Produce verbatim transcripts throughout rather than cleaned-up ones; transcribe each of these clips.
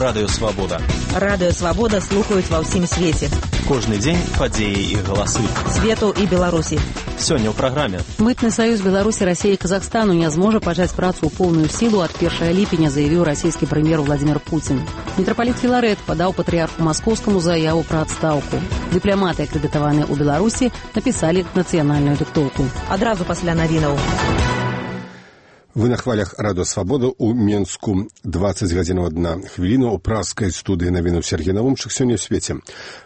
Радыё Свабода. Радыё Свабода слухаюць ва ўсім свеце. Кожны дзень падзеі і галасы. Свету і Беларусі. Сёння ў праграме. Мытны саюз Беларусі, Расіі і Казахстану не зможа пачаць працу ў поўную сілу ад першага ліпеня, заявіў расійскі прэм'ер Владзімир Пуцін. Мітрапаліт Філарэт падаў патрыярху маскоўскаму заяву пра адстаўку. Дыпламаты, акрэдытаваныя ў Беларусі, напісалі нацыянальную дыктоўку. Адразу пасля навінаў. Вы на хвалях Радыё Свабода ў Менску. дваццаць гадзінаў адна хвіліна ў праскай студыі навінаў Сергей Навумчык сёння ў свеце.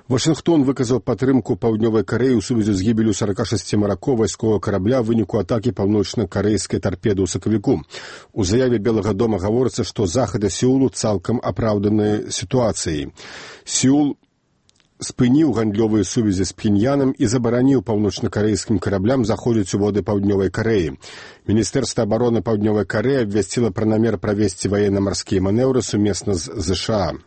Вашынгтон выказаў падтрымку Паўднёвай Карэі ў сувязі з гібелю сорок шэсць маракоў вайсковага карабля ў выніку атакі паўночна-карэйскай тарпеды ў сакавіку. У заяве Белага дома гаворыцца, што захады Сеулу цалкам апраўданыя сітуацыяй. Сеул спыніў гандлёвыя сувязі з Пхеньянам і забараніў паўночна-карэйскім караблям заходзіць у воды Паўднёвай Карэі. Міністэрства абароны Паўднёвай Карэі абвясціла пра намер правесці ваенна-марскія манеўры сумесна з ЗША.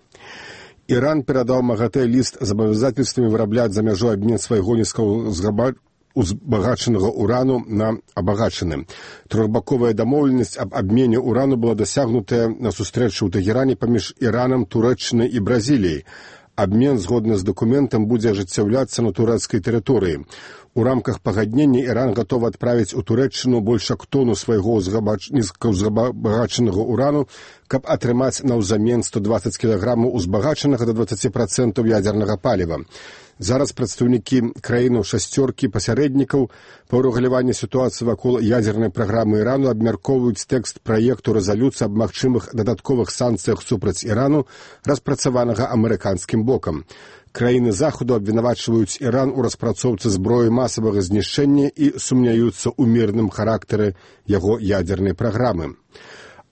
Іран перадаў МАГАТЭ ліст з абавязательствамі вырабляць за мяжой абмен свайго нізкаўзгабачанага узбагачанага урану на абагачаны. Трохбаковая дамоўленасць аб абмене урану была дасягнутая на сустрэчы ў Тэгеране паміж Іранам, Турэччынай і Бразіліяй. Абмен, згодна з дакументам, будзе ажыццяўляцца на турэцкай тэрыторыі. У рамках пагаднення Іран гатовы адправіць у Турэччыну больш як тону свайго нізкаўзбагачанага урану, каб атрымаць наўзамен сто дваццаць кілаграмаў узбагачанага да дваццаць працэнтаў ядзернага паліва. Зараз прадстаўнікі краінаў шасцёркі пасярэднікаў па ўрэгуляванні сітуацыі вакол ядзернай праграмы Ірану абмяркоўваюць тэкст праекту рэзалюцыі аб магчымых дадатковых санкцыях супраць Ірану, распрацаванага амерыканскім бокам. Краіны захаду абвінавачваюць Іран у распрацоўцы зброі масавага знішчэння і сумняюцца ў мірным характары яго ядзернай праграмы.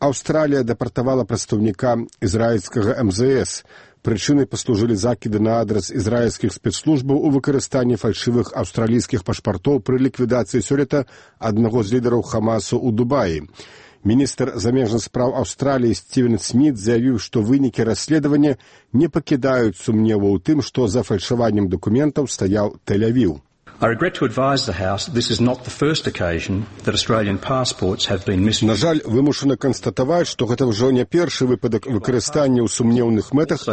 Аўстралія дэпартавала прадстаўніка ізраільскага эм зэ эс. Прычынай паслужылі закіды на адрас ізраільскіх спецслужбаў у выкарыстанні фальшывых аўстралійскіх пашпартоў пры ліквідацыі сёлета аднаго з лідараў Хамасу ў Дубаі. Міністр замежных спраў Аўстраліі Стівен Сміт заявіў, што вынікі расследавання не пакідаюць сумневу ў тым, што за фальшаваннем дакументаў стаяў Тель-Авіў. I regret to advise the House that this is not the first occasion that Australian passports have been misused. На жаль, вымушана канстатаваць, што гэта ўжо не першы выпадак выкарыстання ў сумнеўных мэтах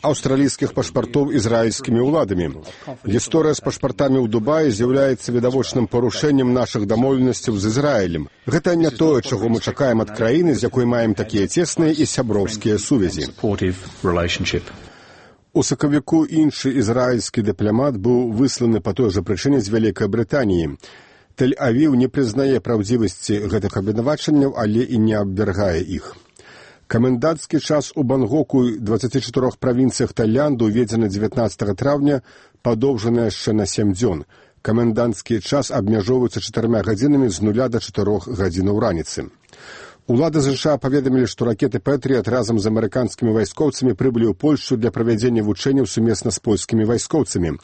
аўстралійскіх пашпартоў ізраільскімі ўладамі. Гісторыя з пашпартамі ў Дубаі з'яўляецца відавочным парушэннем нашых дамоўленасцяў з Ізраілем. Гэта не тое, чаго мы чакаем ад краіны, з якой маем такія цесныя і сяброўскія сувязі. У сакавіку іншы ізраільскі дыпламат быў высланы па той жа прычыне з Вялікай Брытаніі. Тель-Авіў не прызнае праўдзівасці гэтых абвінавачанняў, але і не абвяргае іх. Камендантскі час у Бангоку і дваццаці чатырох правінцыях Таіланду уведзены дзевятнаццатага траўня, падоўжаны яшчэ на сем дзён. Камендантскі час абмяжоўваецца чатырма гадзінамі з нуля да чатырох гадзінаў раніцы. Улады ЗША паведамілі, што ракеты «Пэтрыят» разам з амерыканскімі вайскоўцамі прыбылі ў Польшчу для правядзення вучэнняў сумесна з польскімі вайскоўцамі.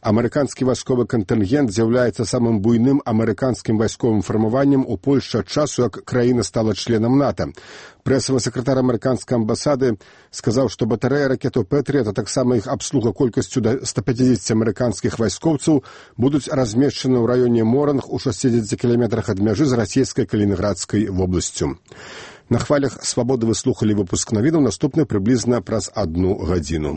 Амерыканскі вайсковы кантынгент з'яўляецца самым буйным амерыканскім вайсковым фармаваннем у Польшчы ад часу, як краіна стала членам НАТО. Прэсавы сакратар амерыканскай амбасады сказаў, што батарэя ракетаў «Пэтрыят», а таксама іх абслуга колькасцю да ста пяцідзесяці амерыканскіх вайскоўцаў будуць размешчаны ў раёне Моранг у шасцідзесяці кіламетрах ад мяжы з расійскай Калінінградскай вобласцю. На хвалях Свабоды вы слухалі выпуск навінаў, наступны прыблізна праз адну гадзіну.